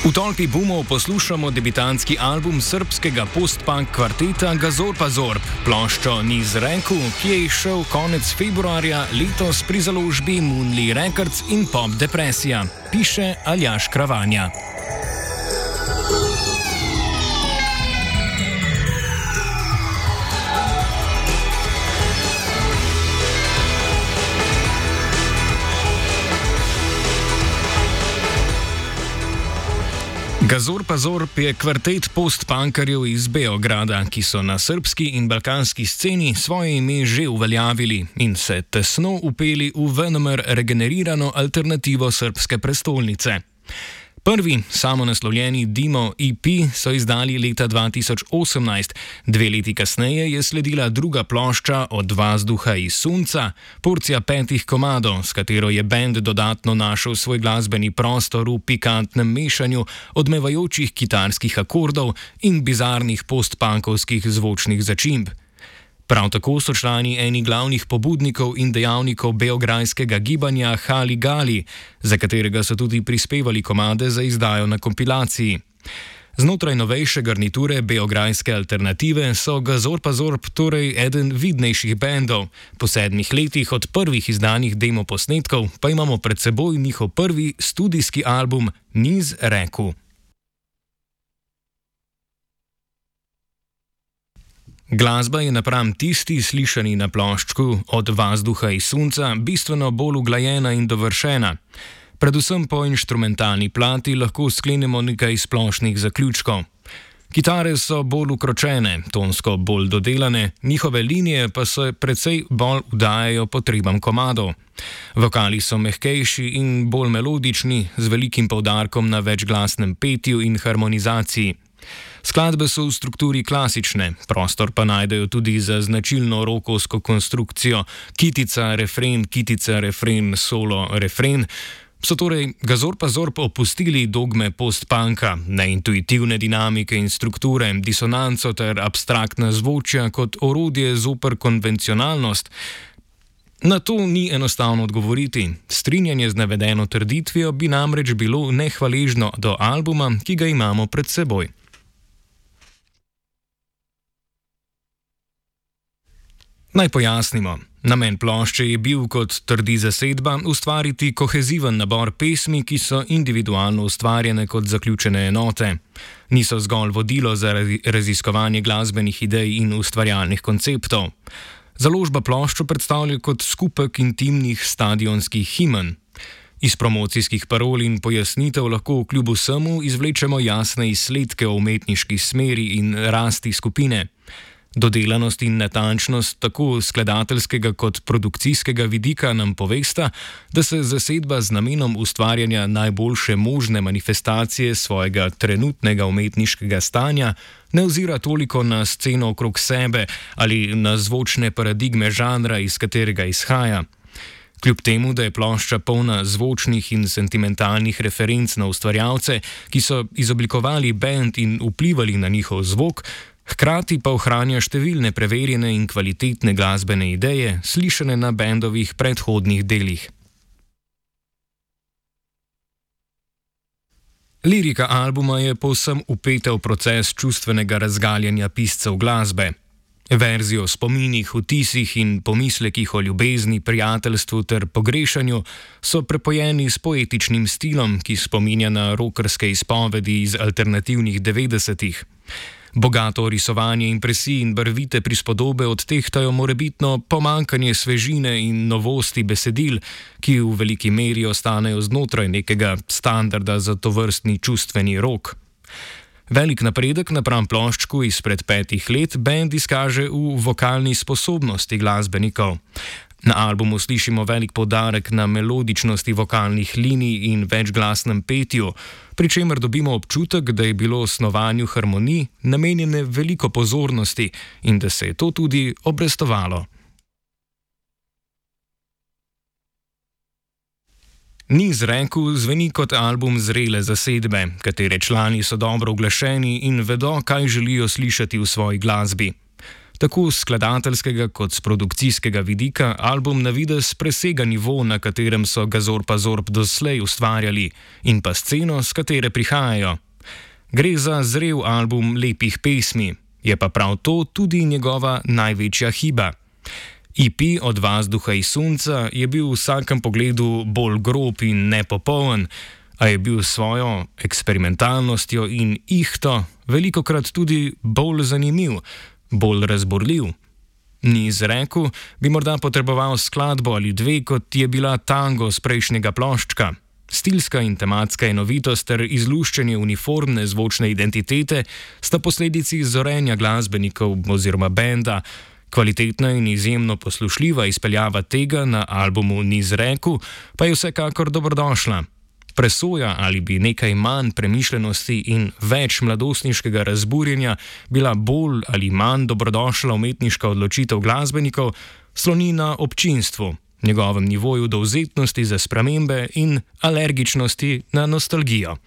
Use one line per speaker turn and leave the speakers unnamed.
V Tolpi bumov poslušamo debitantski album srbskega post-punk kvarteta Gazorpa Zorb, ploščo Niz reku, ki je izšel konec februarja letos pri založbi Moonly Records in Pop Depresija, piše Aljaž Kravanja. Gazorpa Zorb je kvartet post-punkerjev iz Beograda, ki so na srbski in balkanski sceni svoje ime že uveljavili in se tesno upeli v venomer regenerirano alternativo srbske prestolnice. Prvi samonaslovljeni Dimo EP so izdali leta 2018, 2 leti kasneje je sledila druga plošča Od vazduha i sunca, porcija 5 komadov, s katero je bend dodatno našel svoj glasbeni prostor v pikantnem mešanju odmevajočih kitarskih akordov in bizarnih post-punkovskih zvočnih začimb. Prav tako so člani eni glavnih pobudnikov in dejavnikov beograjskega gibanja Hali Gali, za katerega so tudi prispevali komade za izdajo na kompilaciji. Znotraj novejše garniture beograjske alternative so Gazorpa Zorb torej eden vidnejših bendov. Po 7 letih od prvih izdanih demo posnetkov pa imamo pred seboj njihov prvi studijski album Niz reku. Glasba je napram tisti slišani na ploščku Od vazduha i sunca bistveno bolj uglajena in dovršena. Predvsem po inštrumentalni plati lahko sklenemo nekaj splošnih zaključkov. Kitare so bolj ukročene, tonsko bolj dodelane, njihove linije pa se precej bolj vdajajo potrebam komadov. Vokali so mehkejši in bolj melodični, z velikim poudarkom na večglasnem petju in harmonizaciji. Skladbe so v strukturi klasične, prostor pa najdejo tudi za značilno rokovsko konstrukcijo kitica, refren, solo, refren. So torej Gazorpa Zorb opustili dogme post-punka, neintuitivne dinamike in strukture, disonanco ter abstraktna zvočja kot orodje zoper konvencionalnost. Na to ni enostavno odgovoriti. Strinjanje z navedeno trditvijo bi namreč bilo nehvaležno do albuma, ki ga imamo pred seboj. Naj pojasnimo. Namen plošče je bil, kot trdi zasedba, ustvariti koheziven nabor pesmi, ki so individualno ustvarjene kot zaključene enote. Niso zgolj vodilo za raziskovanje glasbenih idej in ustvarjalnih konceptov. Založba ploščo predstavlja kot skupek intimnih stadionskih himen. Iz promocijskih parol in pojasnitev lahko kljub vsemu izvlečemo jasne izsledke o umetniški smeri in rasti skupine. Dodelanost in natančnost tako skladateljskega kot produkcijskega vidika nam povesta, da se zasedba z namenom ustvarjanja najboljše možne manifestacije svojega trenutnega umetniškega stanja ne ozira toliko na sceno okrog sebe ali na zvočne paradigme žanra, iz katerega izhaja. Kljub temu, da je plošča polna zvočnih in sentimentalnih referenc na ustvarjalce, ki so izoblikovali bend in vplivali na njihov zvok, hkrati pa ohranja številne preverjene in kvalitetne glasbene ideje, slišane na bendovih predhodnih delih. Lirika albuma je povsem vpeta v proces čustvenega razgaljanja piscev glasbe. Verzi o spominih, vtisih in pomislekih o ljubezni, prijateljstvu ter pogrešanju so prepojeni s poetičnim stilom, ki spominja na rockerske izpovedi iz alternativnih 90-ih. Bogato risovanje impresij in barvite prispodobe odtehtajo morebitno pomanjkanje svežine in novosti besedil, ki v veliki meri ostanejo znotraj nekega standarda za tovrstni čustveni rock. Velik napredek napram ploščku izpred 5 let bend izkaže v vokalni sposobnosti glasbenikov. Na albumu slišimo velik poudarek na melodičnosti vokalnih linij in večglasnem petju, pri čemer dobimo občutek, da je bilo snovanju harmonij namenjene veliko pozornosti in da se je to tudi obrestovalo. Niz reku zveni kot album zrele zasedbe, katere člani so dobro uglašeni in vedo, kaj želijo slišati v svoji glasbi. Tako z skladateljskega kot z produkcijskega vidika album na videz presega nivo, na katerem so ga Zorb pa Zorb doslej ustvarjali, in pa sceno, s katere prihajajo. Gre za zrel album lepih pesmi, je pa prav to tudi njegova največja hiba. EP Od vazduha in sonca je bil v vsakem pogledu bolj grob in nepopoln, a je bil s svojo eksperimentalnostjo in ihto velikokrat tudi bolj zanimiv, bolj razborljiv. Niz reku bi morda potreboval skladbo ali dve, kot je bila Tango z prejšnjega ploščka. Stilska in tematska enovitost ter izluščenje uniformne zvočne identitete sta posledici zorenja glasbenikov oziroma benda. Kvalitetna in izjemno poslušljiva izpeljava tega na albumu Niz reku pa je vsekakor dobrodošla. Presoja, ali bi nekaj manj premišljenosti in več mladostniškega razburjenja bila bolj ali manj dobrodošla umetniška odločitev glasbenikov, sloni na občinstvu, njegovem nivoju dovzetnosti za spremembe in alergičnosti na nostalgijo.